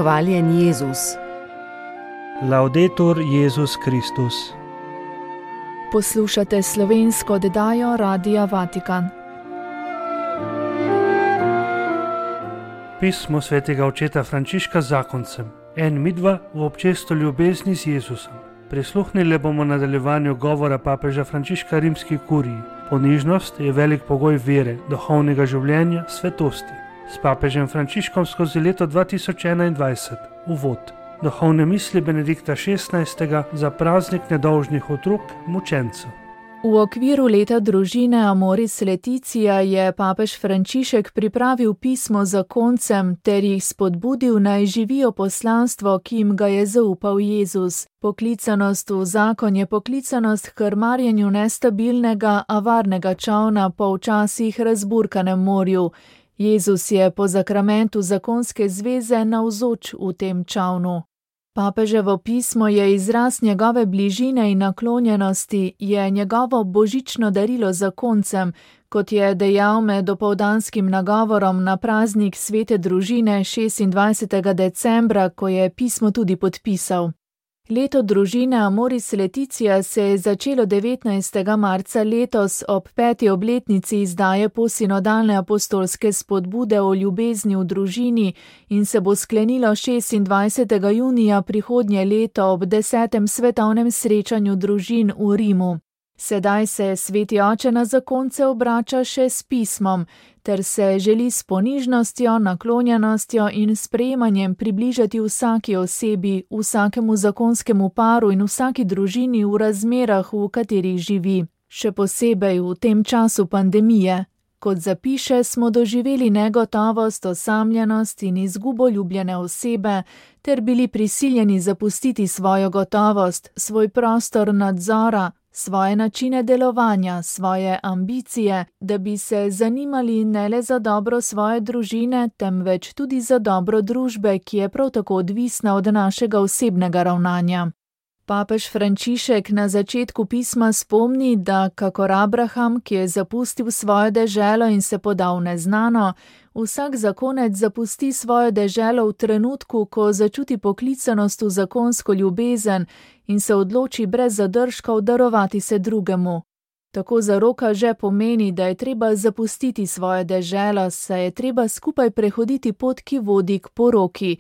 Hvaljen Jezus. Laudetur Jezus Kristus. Poslušate slovensko oddajo Radia Vatikan. Pismo svetega očeta Frančiška zakoncem. En midva v občestvu ljubezni z Jezusom. Prisluhnili bomo nadaljevanju govora papeža Frančiška rimski kuriji. Ponižnost je velik pogoj vere, duhovnega življenja, svetosti. S papežem Frančiškom skozi leto 2021. Uvod. Duhovne misli Benedikta XVI. Za praznik nedolžnih otrok, mučencev. V okviru leta družine Amoris Laetitia je papež Frančišek pripravil pismo zakoncem ter jih spodbudil, naj živijo poslanstvo, ki jim ga je zaupal Jezus. Poklicanost v zakon je poklicanost k krmarjenju nestabilnega, a varnega čolna po včasih razburkanem morju. Jezus je po zakramentu zakonske zveze navzoč v tem čolnu. Papeževo pismo je izraz njegove bližine in naklonjenosti, je njegovo božično darilo zakoncem, kot je dejal med opoldanskim nagovorom na praznik svete družine 26. decembra, ko je pismo tudi podpisal. Leto družine Amoris Laetitia se je začelo 19. marca letos ob 5. obletnici izdaje posinodalne apostolske spodbude o ljubezni v družini in se bo sklenilo 26. junija prihodnje leto ob 10. svetovnem srečanju družin v Rimu. Sedaj se sveti oče na zakonce obrača še s pismom, ter se želi s ponižnostjo, naklonjenostjo in sprejemanjem približati vsaki osebi, vsakemu zakonskemu paru in vsaki družini v razmerah, v katerih živi. Še posebej v tem času pandemije. Kot zapiše, smo doživeli negotovost, osamljenost in izgubo ljubljene osebe, ter bili prisiljeni zapustiti svojo gotovost, svoj prostor nadzora, svoje načine delovanja, svoje ambicije, da bi se zanimali ne le za dobro svoje družine, temveč tudi za dobro družbe, ki je prav tako odvisna od našega osebnega ravnanja. Papež Frančišek na začetku pisma spomni, da kakor Abraham, ki je zapustil svojo deželo in se podal v neznano, vsak zakonec zapusti svojo deželo v trenutku, ko začuti poklicanost v zakonsko ljubezen in se odloči brez zadržkov darovati se drugemu. Tako zaroka že pomeni, da je treba zapustiti svojo deželo, saj je treba skupaj prehoditi pot, ki vodi k poroki.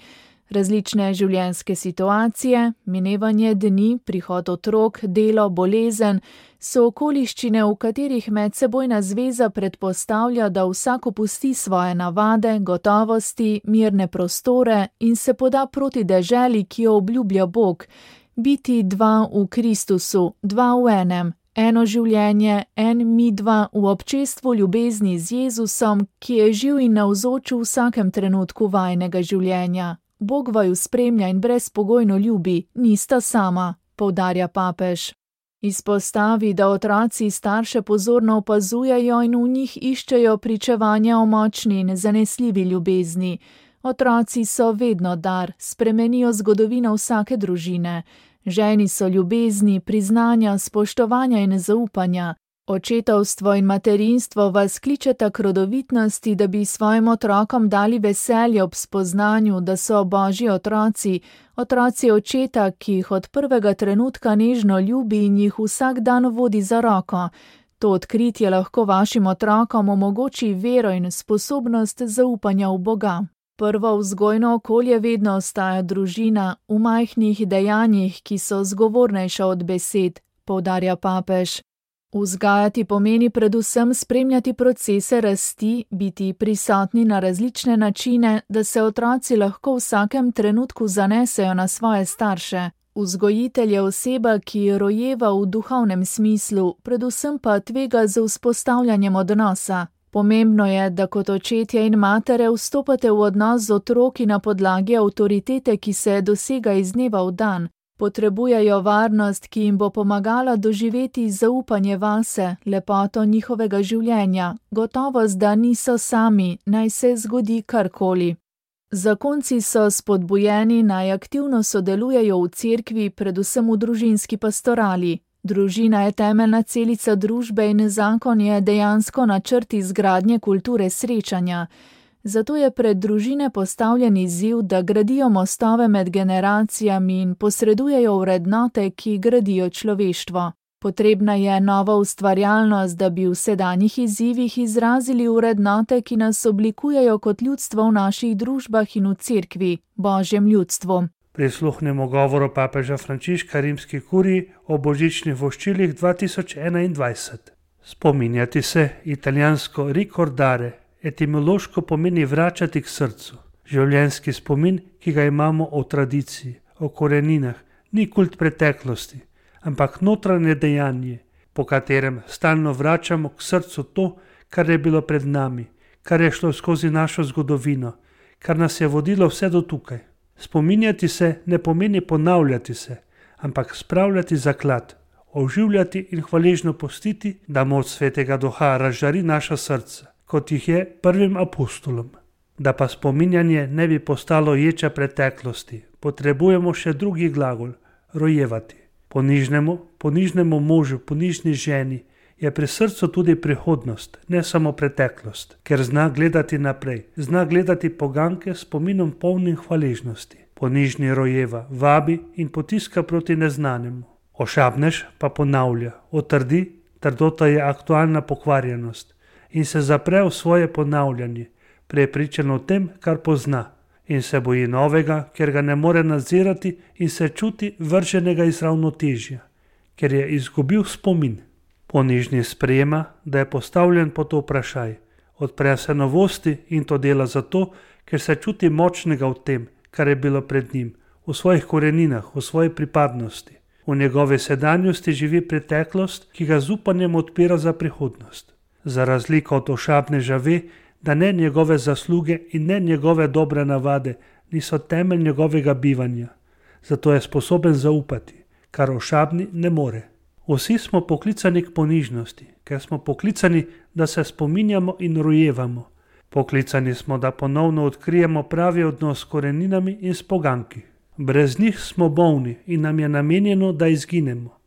Različne življenjske situacije, minevanje dni, prihod otrok, delo, bolezen, so okoliščine, v katerih medsebojna zveza predpostavlja, da vsak opusti svoje navade, gotovosti, mirne prostore in se poda proti deželi, ki jo obljublja Bog. Biti dva v Kristusu, dva v enem, eno življenje, en mi dva v občestvu ljubezni z Jezusom, ki je živ in navzoč v vsakem trenutku vajnega življenja. Bog vaju spremlja in brezpogojno ljubi, nista sama, poudarja papež. Izpostavi, da otroci starše pozorno opazujejo in v njih iščejo pričevanja o močni in zanesljivi ljubezni. Otroci so vedno dar, spremenijo zgodovino vsake družine. Ženi so ljubezni, priznanja, spoštovanja in zaupanja. Očetovstvo in materinstvo vas kličeta k rodovitnosti, da bi svojim otrokom dali veselje ob spoznanju, da so Božji otroci, otroci očeta, ki jih od prvega trenutka nežno ljubi in jih vsak dan vodi za roko. To odkritje lahko vašim otrokom omogoči vero in sposobnost zaupanja v Boga. Prvo vzgojno okolje vedno ostaja družina, v majhnih dejanjih, ki so zgovornejša od besed, poudarja papež. Vzgajati pomeni predvsem spremljati procese rasti, biti prisotni na različne načine, da se otroci lahko v vsakem trenutku zanesejo na svoje starše. Vzgojitelj je oseba, ki rojeva v duhovnem smislu, predvsem pa tvega z vzpostavljanjem odnosa. Pomembno je, da kot očetje in matere vstopate v odnos z otroki na podlagi avtoritete, ki se dosega iz dneva v dan. Potrebujejo varnost, ki jim bo pomagala doživeti zaupanje vase, lepoto njihovega življenja, gotovost, da niso sami, naj se zgodi karkoli. Zakonci so spodbujeni, naj aktivno sodelujejo v cerkvi, predvsem v družinski pastorali. Družina je temeljna celica družbe in zakon je dejansko načrt izgradnje kulture srečanja. Zato je pred družine postavljen izziv, da gradijo mostove med generacijami in posredujejo vrednote, ki gradijo človeštvo. Potrebna je nova ustvarjalnost, da bi v sedanjih izzivih izrazili vrednote, ki nas oblikujejo kot ljudstvo v naših družbah in v cerkvi, Božjem ljudstvu. Prisluhnemo govoru papeža Frančiška rimski kuriji o božičnih voščilih 2021. Spominjati se, italijansko ricordare, etimološko pomeni vračati k srcu. Življenjski spomin, ki ga imamo o tradiciji, o koreninah, ni kult preteklosti, ampak notranje dejanje, po katerem stalno vračamo k srcu to, kar je bilo pred nami, kar je šlo skozi našo zgodovino, kar nas je vodilo vse do tukaj. Spominjati se ne pomeni ponavljati se, ampak spravljati zaklad, oživljati in hvaležno pustiti, da moč Svetega Duha razžari naša srca, kot jih je prvim apostolom. Da pa spominjanje ne bi postalo ječa preteklosti, potrebujemo še drugi glagol, rojevati. Ponižnemu možu, ponižni ženi je pri srcu tudi prihodnost, ne samo preteklost, ker zna gledati naprej, zna gledati poganke s spominom polnim hvaležnosti. Ponižni rojeva, vabi in potiska proti neznanemu. Ošabnež pa ponavlja, otrdi, trdota je aktualna pokvarjenost in se zapre v svoje ponavljanje, prepričan o tem, kar pozna, in se boji novega, ker ga ne more nadzirati in se čuti vrženega iz ravnotežja, ker je izgubil spomin. Ponižni sprejema, da je postavljen pod vprašaj, odpre se novosti in to dela zato, ker se čuti močnega v tem, kar je bilo pred njim, v svojih koreninah, v svoji pripadnosti. V njegovi sedanjosti živi preteklost, ki ga z upanjem odpira za prihodnost. Za razliko od ošabneža ve, da ne njegove zasluge in ne njegove dobre navade niso temelj njegovega bivanja. Zato je sposoben zaupati, kar ošabni ne more. Vsi smo poklicani k ponižnosti, ker smo poklicani, da se spominjamo in rojevamo. Poklicani smo, da ponovno odkrijemo pravi odnos s koreninami in s poganki. Brez njih smo bolni in nam je namenjeno, da izginemo.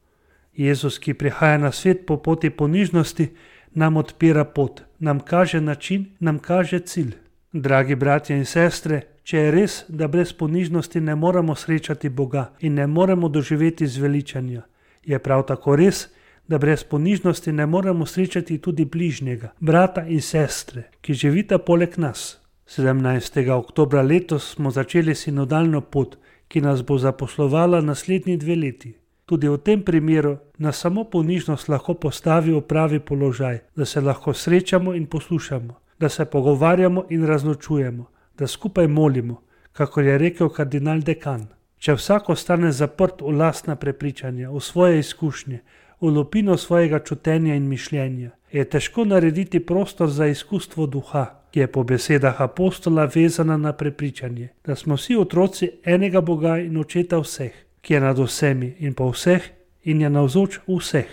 Jezus, ki prihaja na svet po poti ponižnosti, nam odpira pot, nam kaže način, nam kaže cilj. Dragi bratje in sestre, če je res, da brez ponižnosti ne moremo srečati Boga in ne moremo doživeti zveličanja, je prav tako res, da brez ponižnosti ne moremo srečati tudi bližnjega, brata in sestre, ki živita poleg nas. 17. oktobra letos smo začeli sinodalno pot, ki nas bo zaposlovala naslednji 2 leti. Tudi v tem primeru nas samo ponižnost lahko postavi v pravi položaj, da se lahko srečamo in poslušamo, da se pogovarjamo in razločujemo, da skupaj molimo, kakor je rekel kardinal Dekan. Če vsak ostane zaprt v lastna prepričanja, v svoje izkušnje, v lupino svojega čutenja in mišljenja, je težko narediti prostor za izkustvo duha, ki je po besedah apostola vezana na prepričanje, da smo vsi otroci enega Boga in očeta vseh, ki je nad vsemi in po vseh in je navzoč vseh.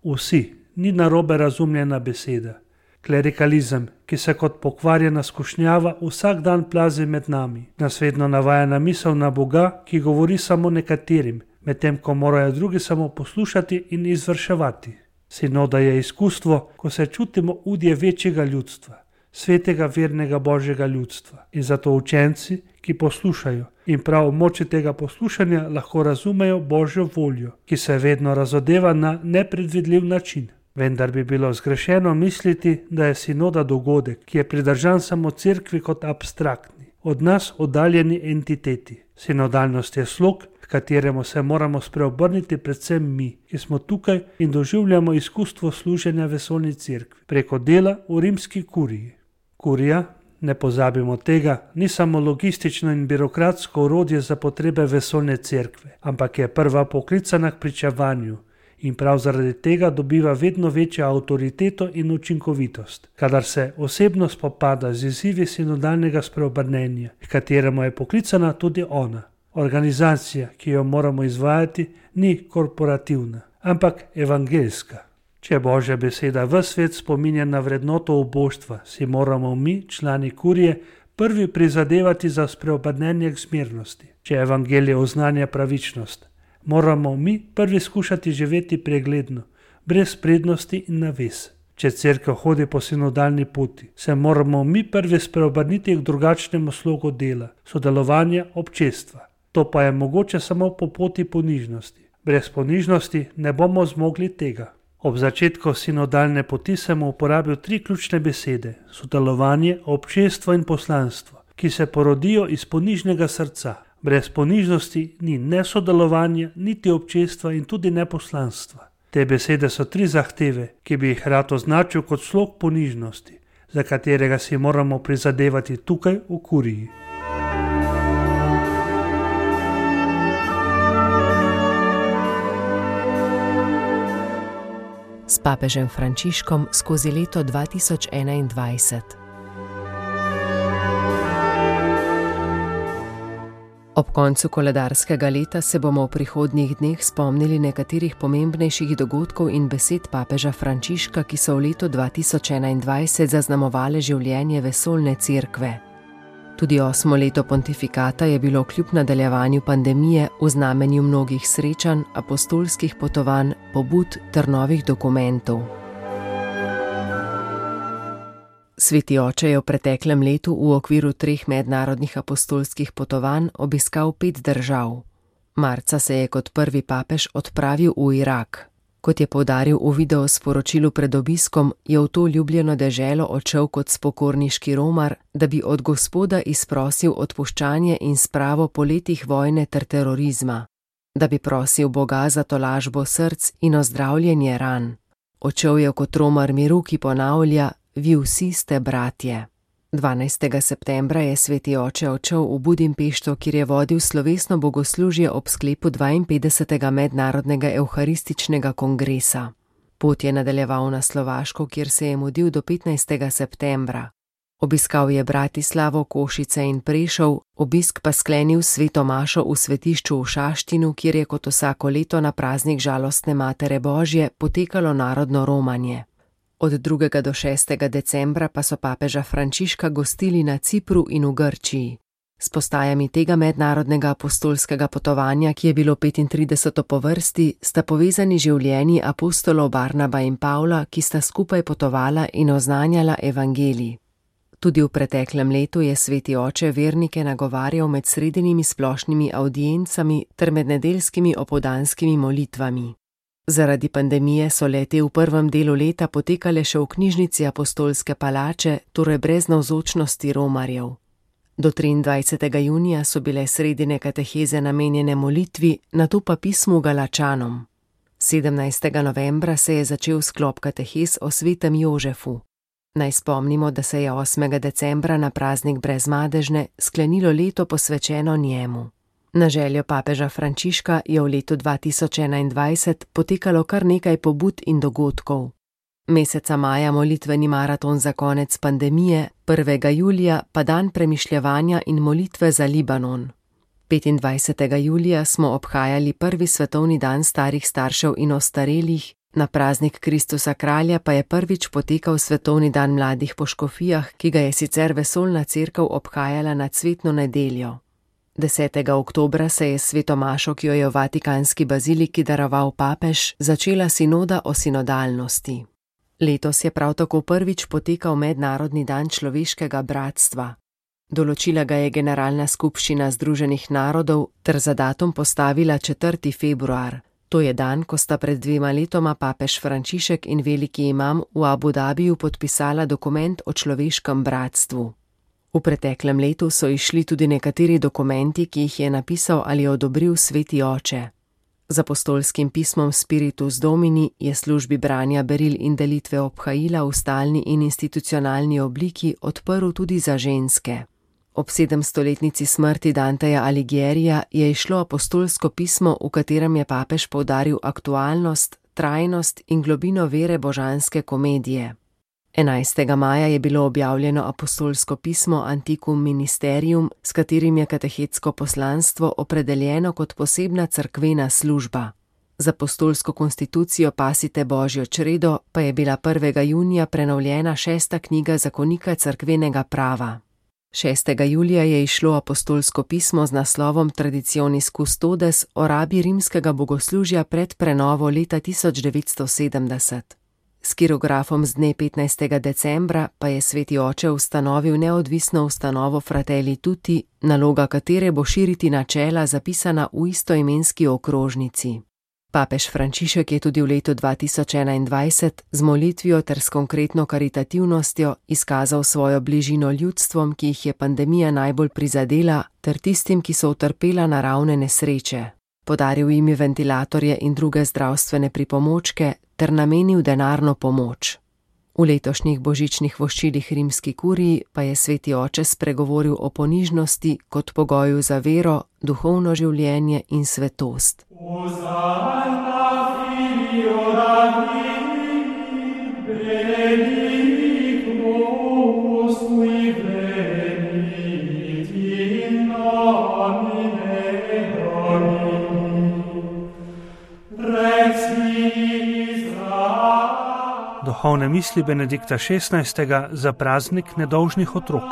Vsi, ni narobe razumljena beseda. Klerikalizem, ki se kot pokvarjena skušnjava vsak dan plazi med nami, nas vedno navaja na misel na Boga, ki govori samo nekaterim, medtem ko morajo drugi samo poslušati in izvrševati. Sinoda je izkustvo, ko se čutimo udje večjega ljudstva, svetega vernega Božjega ljudstva, in zato učenci, ki poslušajo in prav v moči tega poslušanja lahko razumejo Božjo voljo, ki se vedno razodeva na nepredvidljiv način. Vendar bi bilo zgrešeno misliti, da je sinoda dogodek, ki je pridržan samo cerkvi kot abstraktni, od nas oddaljeni entiteti. Sinodalnost je slog, k kateremu se moramo spreobrniti predvsem mi, ki smo tukaj in doživljamo izkustvo služenja vesoljni cerkvi preko dela v rimski kuriji. Kurija, ne pozabimo tega, ni samo logistično in birokratsko orodje za potrebe vesoljne cerkve, ampak je prva poklicana k pričevanju in prav zaradi tega dobiva vedno večjo avtoriteto in učinkovitost, kadar se osebno spopada z izzivi sinodalnega spreobrnenja, k kateremu je poklicana tudi ona. Organizacija, ki jo moramo izvajati, ni korporativna, ampak evangeljska. Če Božja beseda v svet spominja na vrednoto oboštva, si moramo mi, člani kurije, prvi prizadevati za spreobrnenje k zmernosti. Če evangelije oznanja pravičnost, moramo mi prvi skušati živeti pregledno, brez prednosti in naves. Če cerkev hodi po sinodalni poti, se moramo mi prvi spreobrniti k drugačnemu slogu dela, sodelovanja občestva. To pa je mogoče samo po poti ponižnosti. Brez ponižnosti ne bomo zmogli tega. Ob začetku sinodalne poti sem uporabil 3 ključne besede: sodelovanje, občestvo in poslanstvo, ki se porodijo iz ponižnega srca. Brez ponižnosti ni ne sodelovanja, niti občestva in tudi ne poslanstva. Te besede so 3 zahteve, ki bi jih rad označil kot slog ponižnosti, za katerega si moramo prizadevati tukaj v kuriji. S papežem Frančiškom skozi leto 2021. Ob koncu koledarskega leta se bomo v prihodnjih dneh spomnili nekaterih pomembnejših dogodkov in besed papeža Frančiška, ki so v letu 2021 zaznamovale življenje vesoljne cerkve. Tudi 8. leto pontifikata je bilo kljub nadaljevanju pandemije v znamenju mnogih srečanj, apostolskih potovanj, pobud ter novih dokumentov. Sveti oče je v preteklem letu v okviru 3 mednarodnih apostolskih potovanj obiskal 5 držav. Marca se je kot prvi papež odpravil v Irak. Kot je poudaril v videosporočilu pred obiskom, je v to ljubljeno deželo odšel kot spokorniški romar, da bi od Gospoda izprosil odpuščanje in spravo po letih vojne ter terorizma, da bi prosil Boga za tolažbo src in ozdravljenje ran. Odšel je kot romar miru, ki ponavlja: vi vsi ste bratje. 12. septembra je sveti oče odšel v Budimpešto, kjer je vodil slovesno bogoslužje ob sklepu 52. mednarodnega evharističnega kongresa. Pot je nadaljeval na Slovaško, kjer se je mudil do 15. septembra. Obiskal je Bratislavo, Košice in Prešov, obisk pa sklenil s sveto mašo v svetišču v Šaštinu, kjer je kot vsako leto na praznik žalostne Matere Božje potekalo narodno romanje. Od 2. do 6. decembra pa so papeža Frančiška gostili na Cipru in v Grčiji. S postajami tega mednarodnega apostolskega potovanja, ki je bilo 35. po vrsti, sta povezani življenji apostolov Barnaba in Pavla, ki sta skupaj potovala in oznanjala evangelij. Tudi v preteklem letu je sveti oče vernike nagovarjal med sredinimi splošnimi avdiencami ter med nedeljskimi opoldanskimi molitvami. Zaradi pandemije so le-te v prvem delu leta potekale še v knjižnici Apostolske palače, torej brez navzočnosti romarjev. Do 23. junija so bile sredine kateheze namenjene molitvi, nato pa pismu Galačanom. 17. novembra se je začel sklop katehez o svetem Jožefu. Naj spomnimo, da se je 8. decembra na praznik Brezmadežne sklenilo leto posvečeno njemu. Na željo papeža Frančiška je v letu 2021 potekalo kar nekaj pobud in dogodkov. Meseca maja molitveni maraton za konec pandemije, 1. julija pa dan premišljevanja in molitve za Libanon. 25. julija smo obhajali prvi svetovni dan starih staršev in ostarelih, na praznik Kristusa kralja pa je prvič potekal svetovni dan mladih po škofijah, ki ga je sicer vesoljna cerkev obhajala na cvetno nedeljo. 10. oktobra se je s sveto mašo, ki jo je v Vatikanski baziliki daroval papež, začela sinoda o sinodalnosti. Letos je prav tako prvič potekal mednarodni dan človeškega bratstva. Določila ga je Generalna skupščina Združenih narodov ter za datum postavila 4. februar. To je dan, ko sta pred 2 letoma papež Frančišek in veliki imam v Abu Dabiju podpisala dokument o človeškem bratstvu. V preteklem letu so izšli tudi nekateri dokumenti, ki jih je napisal ali odobril sveti oče. Z apostolskim pismom Spiritus Domini je službi branja beril in delitve obhajila v stalni in institucionalni obliki odprl tudi za ženske. Ob 700-letnici smrti Danteja Alighierija je izšlo apostolsko pismo, v katerem je papež poudaril aktualnost, trajnost in globino vere božanske komedije. 11. maja je bilo objavljeno apostolsko pismo Antiquum Ministerium, s katerim je katehetsko poslanstvo opredeljeno kot posebna cerkvena služba. Z apostolsko konstitucijo Pasite Božjo čredo pa je bila 1. junija prenovljena 6. knjiga zakonika cerkvenega prava. 6. julija je izšlo apostolsko pismo z naslovom Traditionis Custodes o rabi rimskega bogoslužja pred prenovo leta 1970. S kirografom z dne 15. decembra pa je sveti oče ustanovil neodvisno ustanovo Fratelli Tutti, naloga katere bo širiti načela zapisana v istoimenski okrožnici. Papež Frančišek je tudi v letu 2021 z molitvijo ter s konkretno karitativnostjo izkazal svojo bližino ljudstvom, ki jih je pandemija najbolj prizadela, ter tistim, ki so utrpela naravne nesreče. Podaril jim je ventilatorje in druge zdravstvene pripomočke ter namenil denarno pomoč. V letošnjih božičnih voščilih rimski kuriji pa je sveti oče spregovoril o ponižnosti kot pogoju za vero, duhovno življenje in svetost. Duhovne misli Benedikta XVI. Za praznik nedolžnih otrok.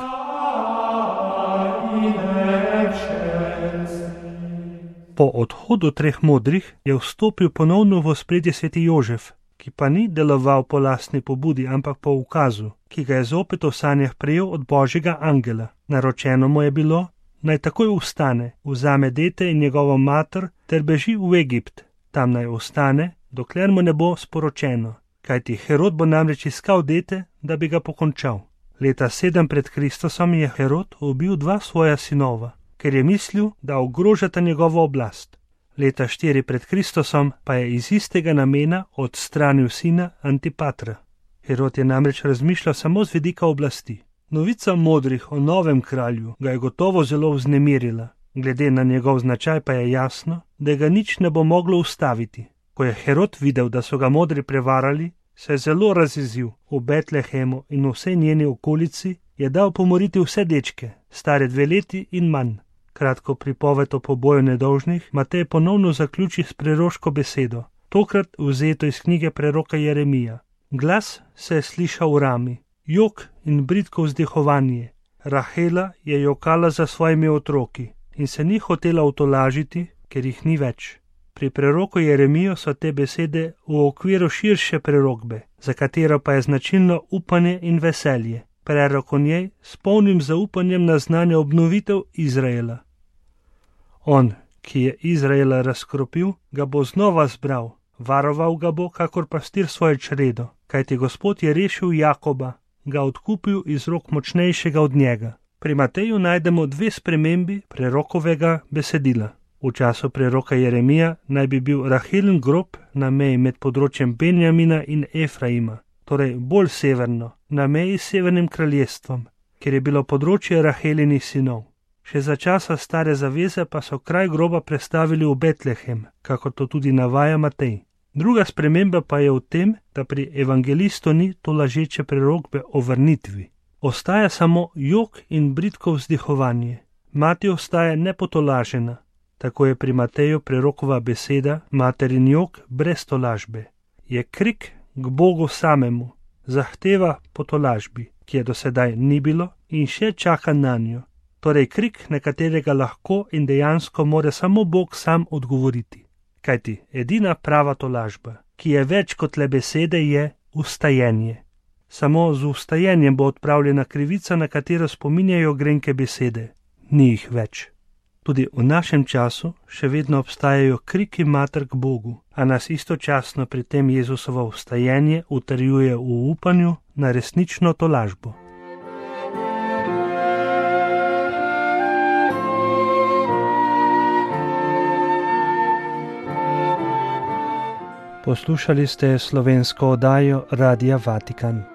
Po odhodu treh modrih je vstopil ponovno v ospredje sveti Jožef, ki pa ni deloval po lastni pobudi, ampak po ukazu, ki ga je zopet v sanjah prejel od Božjega angela. Naročeno mu je bilo, naj takoj vstane, vzame dete in njegovo mater ter beži v Egipt. Tam naj ostane, dokler mu ne bo sporočeno. Kajti Herod bo namreč iskal dete, da bi ga pokončal. Leta 7 pred Kristusom je Herod ubil 2 svoja sinova, ker je mislil, da ogrožata njegovo oblast. Leta 4 pred Kristusom pa je iz istega namena odstranil sina Antipatra. Herod je namreč razmišljal samo z vidika oblasti. Novica modrih o novem kralju ga je gotovo zelo vznemirila. Glede na njegov značaj pa je jasno, da ga nič ne bo moglo ustaviti. Ko je Herod videl, da so ga modri prevarali, se je zelo razjezil. V Betlehemu in v vsej njeni okolici je dal pomoriti vse dečke, stare 2 leti in manj. Kratko pripoved o poboju nedolžnih Matej ponovno zaključi s preroško besedo, tokrat vzeto iz knjige preroka Jeremija. Glas se je slišal v rami, jok in bridko vzdihovanje. Rahela je jokala za svojimi otroki in se ni hotela utolažiti, ker jih ni več. Pri preroku Jeremijo so te besede v okviru širše prerokbe, za katero pa je značilno upanje in veselje. Prerok o njej s polnim zaupanjem naznanja obnovitev Izraela. On, ki je Izraela razkropil, ga bo znova zbral, varoval ga bo, kakor pastir svoje čredo, kajti Gospod je rešil Jakoba, ga odkupil iz rok močnejšega od njega. Pri Mateju najdemo 2 spremembi prerokovega besedila. V času preroka Jeremija naj bi bil Rahelin grob na meji med področjem Benjamina in Efraima, torej bolj severno, na meji s severnim kraljestvom, kjer je bilo področje Rahelinih sinov. Še za časa stare zaveze pa so kraj groba prestavili v Betlehem, kakor to tudi navaja Matej. Druga sprememba pa je v tem, da pri evangelistu ni to lažeče prerokbe o vrnitvi. Ostaja samo jok in bridko vzdihovanje. Mati ostaja nepotolažena. Tako je pri Mateju prerokova beseda materin jok brez tolažbe. Je krik k Bogu samemu, zahteva po tolažbi, ki je do sedaj ni bilo in še čaka na njo. Torej krik, na katerega lahko in dejansko more samo Bog sam odgovoriti. Kajti edina prava tolažba, ki je več kot le besede, je vstajenje. Samo z vstajenjem bo odpravljena krivica, na katero spominjajo grenke besede. Ni jih več. Tudi v našem času še vedno obstajajo kriki mater k Bogu, a nas istočasno pri tem Jezusovo vstajenje utrjuje v upanju na resnično tolažbo. Poslušali ste slovensko oddajo Radia Vatikan.